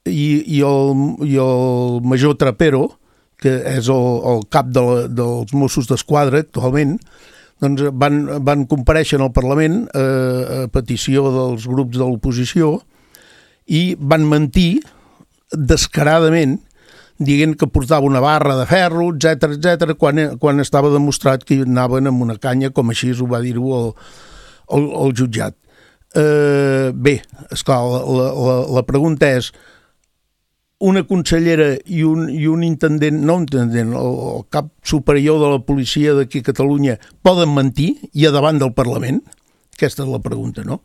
i el major Trapero, que és el cap dels Mossos d'Esquadra actualment, doncs van comparèixer al Parlament a petició dels grups de l'oposició i van mentir descaradament dient que portava una barra de ferro, etc, quan estava demostrat que anaven amb una canya, com així ho va dir-ho el jutjat. Bé, esclar, la pregunta és: una consellera i un intendent, no un intendent, el cap superior de la policia d'aquí a Catalunya poden mentir i a davant del Parlament? Aquesta és la pregunta, no?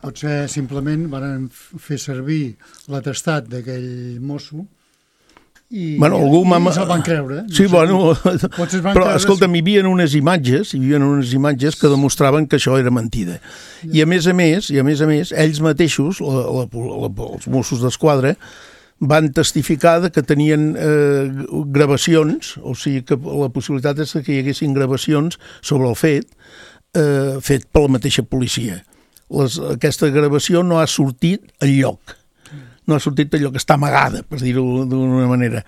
Potser simplement van fer servir l'atestat d'aquell mosso i se'l van creure. Sí, bueno, però escolta'm, hi havia unes imatges que demostraven que això era mentida. I a més a més, ells mateixos, els Mossos d'Esquadra, van testificar que tenien gravacions, o sigui que la possibilitat és que hi haguessin gravacions sobre el fet per la mateixa policia. Aquesta gravació no ha sortit enlloc. No ha sortit enlloc, està amagada, per dir-ho d'una manera.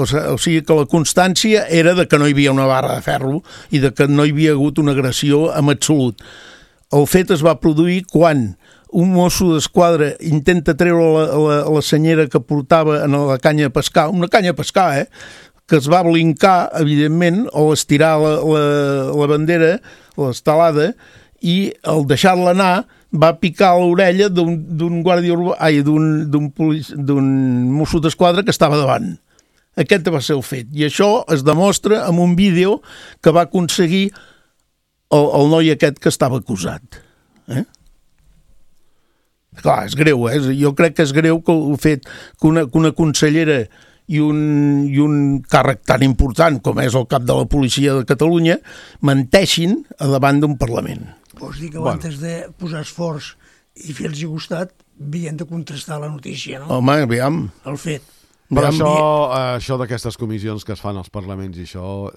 O sigui que la constància era de que no hi havia una barra de ferro i de que no hi havia hagut una agressió en absolut. El fet es va produir quan un mosso d'esquadra intenta treure la senyera que portava en la canya de pescar, una canya de pescar, que es va blincar, evidentment, o estirar la bandera, l'estelada, i al deixar-la anar va picar l'orella d'un guàrdia urbà, d'un mosso d'esquadra que estava davant. Aquest va ser el fet. I això es demostra amb un vídeo que va aconseguir el noi aquest que estava acusat. Clar, és greu, Jo crec que és greu que el fet que una consellera i un càrrec tan important com és el cap de la policia de Catalunya menteixin davant d'un Parlament. Vols dir que abans de posar esforç i fer-los costat havien de contrastar la notícia, no? Home, aviam. El fet. Però això d'aquestes comissions que es fan als parlaments i això...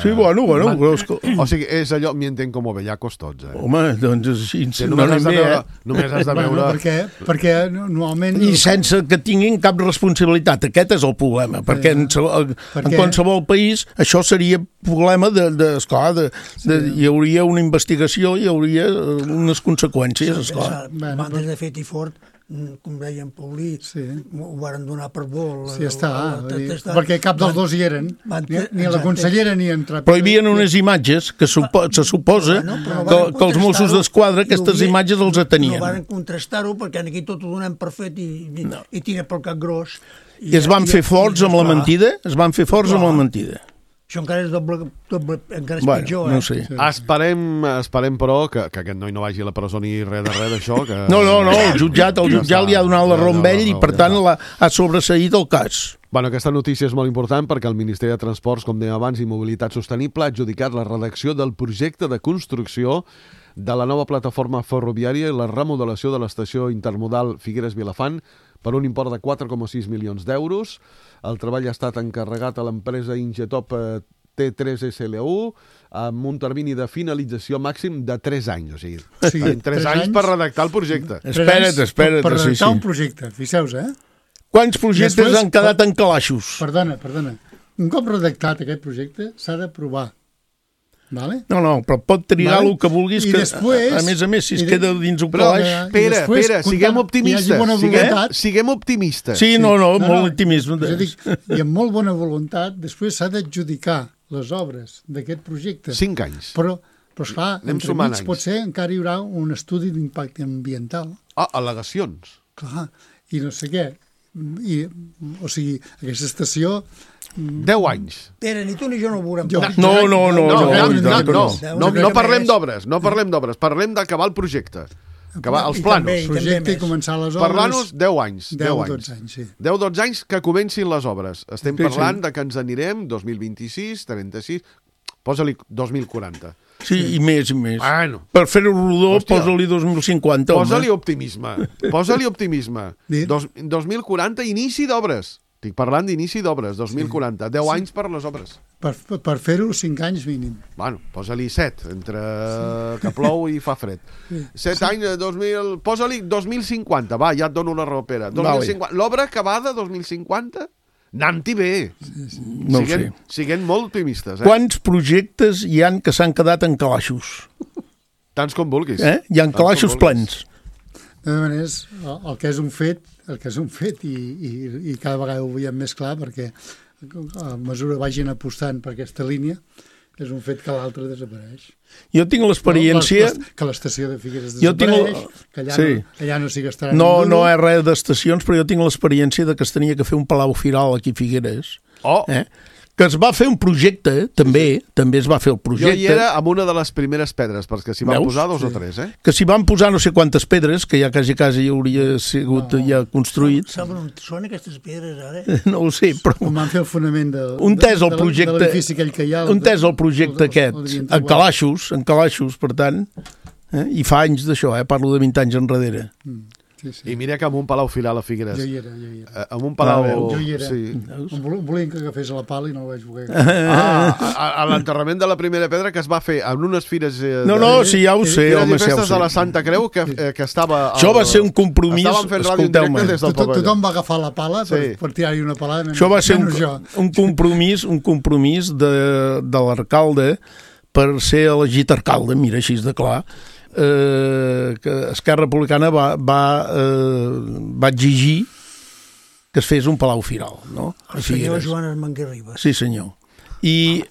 Sí, bueno. O sigui, és allò, m'hi entenc com bellacos tots, Home, doncs així... Només has de veure... Perquè normalment... I sense que tinguin cap responsabilitat. Aquest és el problema, perquè en qualsevol país això seria problema esclar, hi hauria una investigació, hi hauria unes conseqüències, esclar. Abans de fet i fort, com deia en Paulí, ho varen donar per bo. Sí, està. Perquè cap dels dos hi eren, ni la consellera ni en Trapero. Però hi havia unes imatges que se suposa que els Mossos d'Esquadra aquestes imatges els atenien. No varen contrastar-ho perquè aquí tot ho donem per fet i tira pel cap gros. I es van fer forts amb la mentida? Es van fer forts amb la mentida. Això encara és doble encara és pitjor. No sé. Esperem, però, que aquest noi no vagi a la presó ni res d'això. No, el jutjat li ha donat la raó amb ell i, per tant, ha sobreseït el cas. Bueno, aquesta notícia és molt important perquè el Ministeri de Transports, com dèiem abans, i Mobilitat Sostenible ha adjudicat la redacció del projecte de construcció de la nova plataforma ferroviària i la remodelació de l'estació intermodal Figueres-Vilafant per un import de 4,6 milions d'euros. El treball ha estat encarregat a l'empresa Ingetop T3 SLU amb un termini de finalització màxim de 3 anys. O sigui, 3 anys per redactar el projecte. Espera't. Per redactar un projecte, fixeu-vos, Quants projectes han quedat en calaixos? Perdona. Un cop redactat aquest projecte s'ha d'aprovar. Vale? No, però pot trigar el que vulguis, que després, a més, si es queda dins un calaix... Espera, siguem optimistes. Sí, no, molt optimisme. I amb molt bona voluntat, després s'ha d'adjudicar les obres d'aquest projecte. 5 anys. Però esclar, entremig potser encara hi haurà un estudi d'impacte ambiental. Al·legacions. Clar, i no sé què. O sigui, aquesta estació... 10 anys. Pere, ni tu ni jo no ho veurem. No parlem d'obres, parlem d'acabar el projecte. Acabar els planos. El projecte i començar les obres... Parlar-nos 10 anys. 10-12 anys, sí. 10-12 anys que comencin les obres. Estem parlant de que ens anirem 2026, 36... Posa-li 2040. Sí, i més. Bueno. Per fer-ho rodó, posa-li 2050. Posa-li optimisme. 2040, inici d'obres. Estic parlant d'inici d'obres, 2040. 10 anys per les obres. Per fer-ho 5 anys mínim. Bueno, posa-li 7, entre que plou i fa fred. 7 anys, 2000... Posa-li 2050, va, ja et dono la raó, Pere. L'obra acabada, 2050... Anant-hi bé. No ho sé. Siguent molt optimistes. Quants projectes hi han que s'han quedat en calaixos? Tants com vulguis. Hi ha calaixos plens. De maneres, el que és un fet i cada vegada ho veiem més clar perquè a mesura vagin apostant per aquesta línia és un fet que l'altre desapareix. Jo tinc l'experiència... Que l'estació de Figueres desapareix, que allà no s'hi gastarà ningú. No és res d'estacions, però jo tinc l'experiència de que es tenia que fer un palau firal aquí a Figueres. Que es va fer un projecte, també es va fer el projecte. Jo hi era amb una de les primeres pedres, perquè s'hi van posar 2 o 3, Que s'hi van posar no sé quantes pedres, que ja quasi hauria sigut ja construït. Saben on són aquestes pedres, ara? No ho sé, però... Com van fer el fonament de l'edifici aquell que hi ha... On és el projecte aquest? En calaixos, per tant. I fa anys d'això, parlo de 20 anys enrere. I mira que amb un palau firal a Figueres. Jo hi era. Amb un palau... Jo hi era. Volien que agafés la pala i no el vaig voler. A l'enterrament de la primera pedra que es va fer en unes fires... Sí, ja ho sé. Fires i festes de la Santa Creu que estava... Això va ser un compromís... Estàvem fent ràdio en directe des del Pavelló. Tothom va agafar la pala per tirar-hi una palada. Això va ser un compromís de l'alcalde per ser elegit alcalde, mira, així de clar. que Esquerra Republicana va exigir que es fes un Palau Firal, no? El senyor Joan Armenguer Ribas. Sí, senyor. I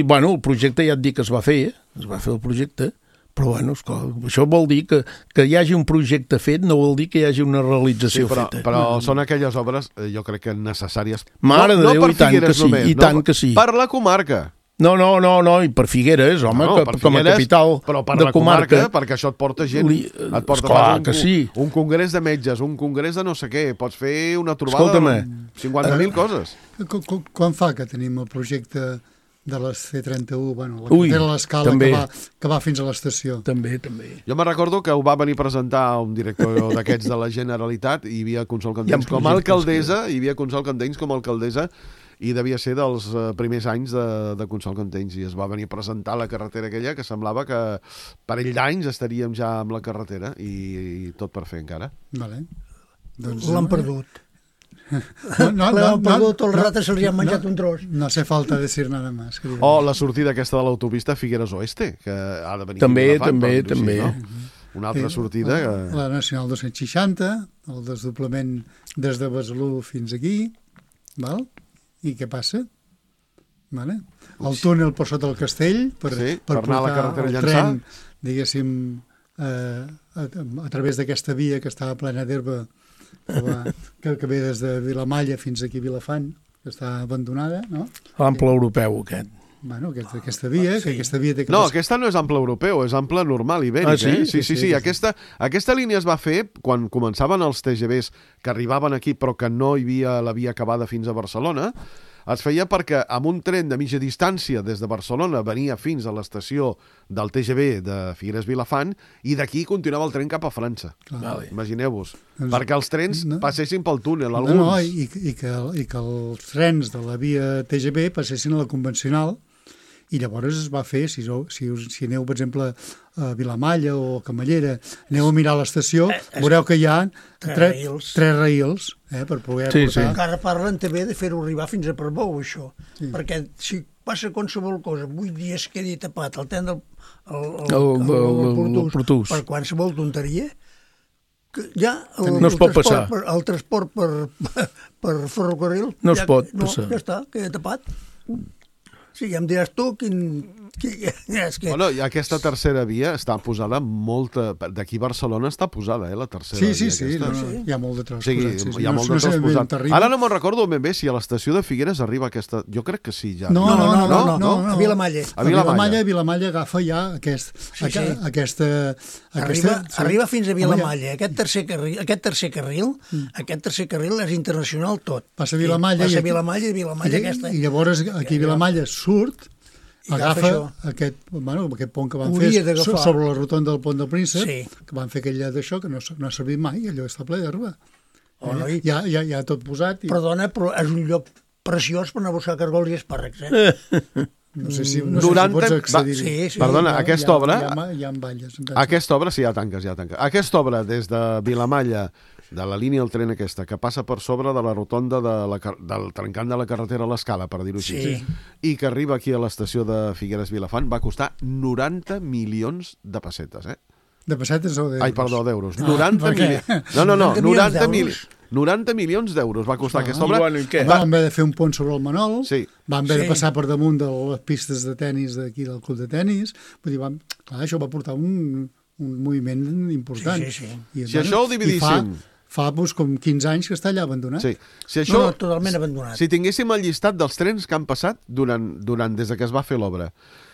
bueno, el projecte ja et dic que es va fer el projecte, però bueno, esclar, això vol dir que hi hagi un projecte fet, no vol dir que hi hagi una realització feta. Però són aquelles obres, jo crec que necessàries. Mare de Déu, i tant que sí, i tant que sí. Per la comarca. No, i per Figueres, home, com a capital però per de la comarca, perquè això et porta gent. Et porta un congrés de metges, un congrés de no sé què, pots fer una trobada de 50.000 coses. Quan fa que tenim el projecte de les C31, bueno, la carretera a l'escala que va fins a l'estació? També. Jo me recordo que ho va venir a presentar un director d'aquests de la Generalitat i hi havia Consol Candells com a alcaldessa, i devia ser dels primers anys de Consol Cantells, i es va venir a presentar la carretera aquella que semblava que parell d'anys estaríem ja amb la carretera i tot per fer encara. Vale. L'han perdut. L'han perdut, el rato se'ls ha menjat un tros. No hace falta decir nada más. O la sortida aquesta de l'autopista Figueres Oeste, que ha de venir també. Una altra sortida. La Nacional 260, el desdoblament des de Besalú fins aquí, val? I què passa? Vale. El túnel per sota del castell per anar a la carretera el tren, diguéssim, a través d'aquesta via que estava plena d'herba que ve des de Vilamalla fins aquí a Vilafant, que està abandonada, no? L'ample europeu, aquest. Bueno, aquesta via, que aquesta via té que... No, aquesta no és ample europeu, és ample normal ibèric. Sí. Aquesta línia es va fer quan començaven els TGVs que arribaven aquí però que no hi havia la via acabada fins a Barcelona. Es feia perquè amb un tren de mitja distància des de Barcelona venia fins a l'estació del TGV de Figueres-Vilafant i d'aquí continuava el tren cap a França. Imagineu-vos. Perquè els trens passessin pel túnel, alguns. I que els trens de la via TGV passessin a la convencional. I llavors es va fer, si aneu, per exemple, a Vilamalla o a Camallera, aneu a mirar l'estació, veureu que hi ha tres raïls per poder portar... Encara parlen també de fer-ho arribar fins a Portbou, això. Perquè si passa qualsevol cosa, 8 dies quedi tapat el tren del Portús per qualsevol tonteria, ja no es pot passar. El transport per ferrocarril no es pot passar. Ja està, queda tapat. Sí, ja em diràs tu quin... Bueno, i aquesta tercera via està posada molta... D'aquí a Barcelona està posada, la tercera via. Sí, hi ha molt de tros posat. Hi ha molt de tros posat. Ara no me'n recordo ben bé si a l'estació de Figueres arriba aquesta... Jo crec que sí, ja. No, a Vilamalla. A Vilamalla agafa ja aquesta... Arriba fins a Vilamalla. Aquest tercer carril és internacional tot. Passa a Vilamalla i Vilamalla aquesta. I llavors aquí a Vilamalla surt, agafa aquest pont que van fer sobre la rotonda del Pont del Príncep, que van fer aquell d'això, que no ha servit mai, allò està ple d'herba. Ja tot posat. Perdona, però és un lloc preciós per anar a buscar cargols i espàrrecs, No sé si pots accedir-hi. Perdona, aquesta obra... Hi ha valles. Aquesta obra, sí, ja tanques. Aquesta obra, des de Vilamalla, de la línia del tren aquesta, que passa per sobre de la rotonda del trencant de la carretera a l'Escala, per dir-ho així, i que arriba aquí a l'estació de Figueres-Vilafant, va costar 90 milions de pessetes, De pessetes o d'euros? Ai, perdó, d'euros. 90 milions. No, 90 milions d'euros va costar aquesta obra. Van haver de fer un pont sobre el Manol, van haver de passar per damunt de les pistes de tennis d'aquí del club de tennis, vull dir, això va portar un moviment important. Si això ho dividíssim... Fa com 15 anys que està allà abandonat. Totalment abandonat. Si tinguéssim el llistat dels trens que han passat des que es va fer l'obra,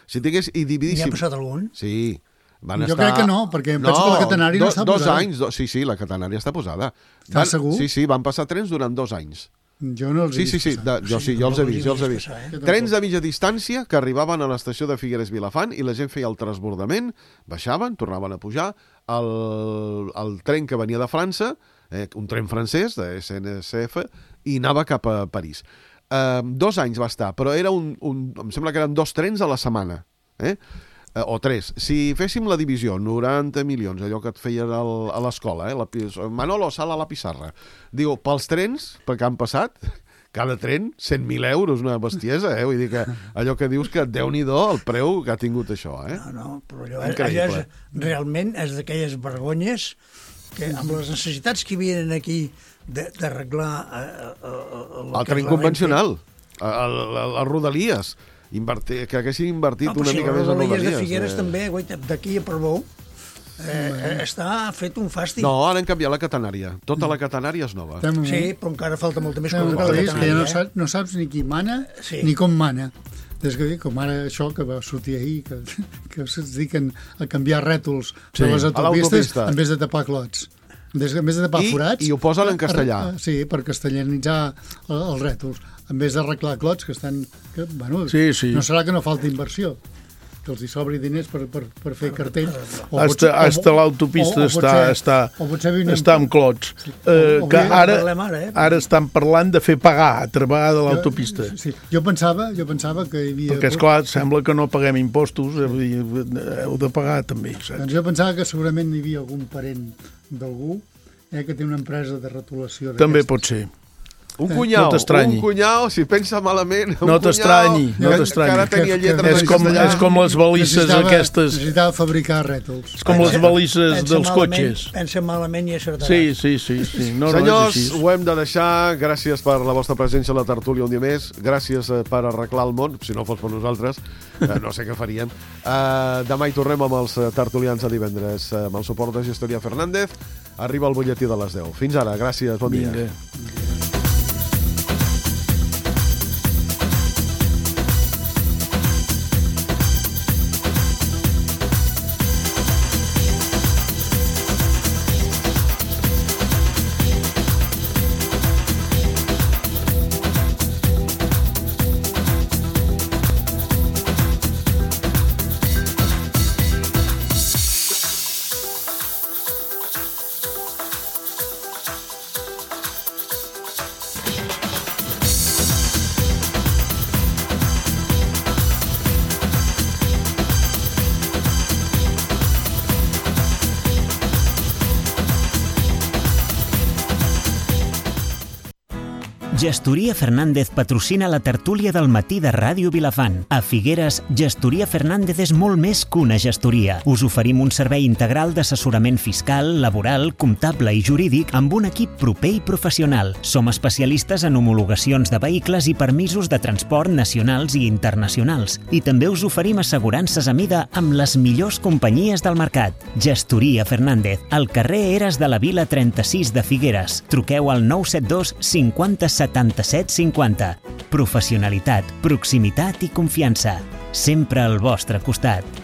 i dividíssim... N'hi ha passat algun? Sí. Jo crec que no, perquè em penso que la catenària no està posada. 2 anys, sí, la catenària està posada. Estàs segur? Sí, van passar trens durant 2 anys. Jo no els he vist passar. Jo els he vist. Trens de mitja distància que arribaven a l'estació de Figueres-Vilafant i la gent feia el transbordament, baixaven, tornaven a pujar, el tren que venia de França, un tren francès, de SNCF, i anava cap a París. 2 anys va estar, però era em sembla que eren 2 trens a la setmana, o 3. Si féssim la divisió, 90 milions, allò que et feien a l'escola, Manolo, sala a la pissarra. Diu, pels trens, perquè han passat, cada tren, 100.000 euros, una bestiesa, Vull dir que allò que dius que Déu-n'hi-do el preu que ha tingut això, No, però allò realment és d'aquelles vergonyes que amb les necessitats que hi havia aquí d'arreglar el tren convencional, les rodalies, que haguessin invertit una mica més en rodalies. Les de Figueres també, d'aquí a Portbou, està fet un fàstic. No, ara han canviat la catenària. Tota la catenària és nova. Sí, però encara falta molta més cosa que la catenària. Que no saps ni qui mana ni com mana. Des que com ara això que va sortir ahir, que es dediquen a canviar rètols de les autopistes en vez de tapar clots. En vez de tapar forats... I ho posen en castellà. Sí, per castellanitzar els rètols. En vez d'arreglar clots que estan... No serà que no falta inversió, que els hi sobri diners per fer cartell. Hasta l'autopista està amb clots. Que ara estan parlant de fer pagar a través de l'autopista. Jo pensava que hi havia... Perquè, esclar, sembla que no paguem impostos, heu de pagar també. Doncs jo pensava que segurament hi havia algun parent d'algú que té una empresa de retolació d'aquestes. També pot ser. Un cunyau, si pensa malament... No t'estranyi. Encara tenia lletres en castellà. És com les balises aquestes... Necessitava fabricar rètols. És com les balises dels cotxes. Pensa malament i acertarà. Sí. Senyors, ho hem de deixar. Gràcies per la vostra presència a la tertúlia un dia més. Gràcies per arreglar el món. Si no fos per nosaltres, no sé què faríem. Demà hi tornem amb els tertulians a divendres. Amb el suport de Gestoria Fernández. Arriba el butlletí de les 10. Fins ara. Gràcies. Bon dia. Gestoria Fernández patrocina la tertúlia del matí de Ràdio Vilafant. A Figueres, Gestoria Fernández és molt més que una gestoria. Us oferim un servei integral d'assessorament fiscal, laboral, comptable i jurídic amb un equip proper i professional. Som especialistes en homologacions de vehicles i permisos de transport nacionals i internacionals. I també us oferim assegurances a mida amb les millors companyies del mercat. Gestoria Fernández, al carrer Eres de la Vila 36 de Figueres. Truqueu al 972 50 77 50. Professionalitat, proximitat i confiança. Sempre al vostre costat.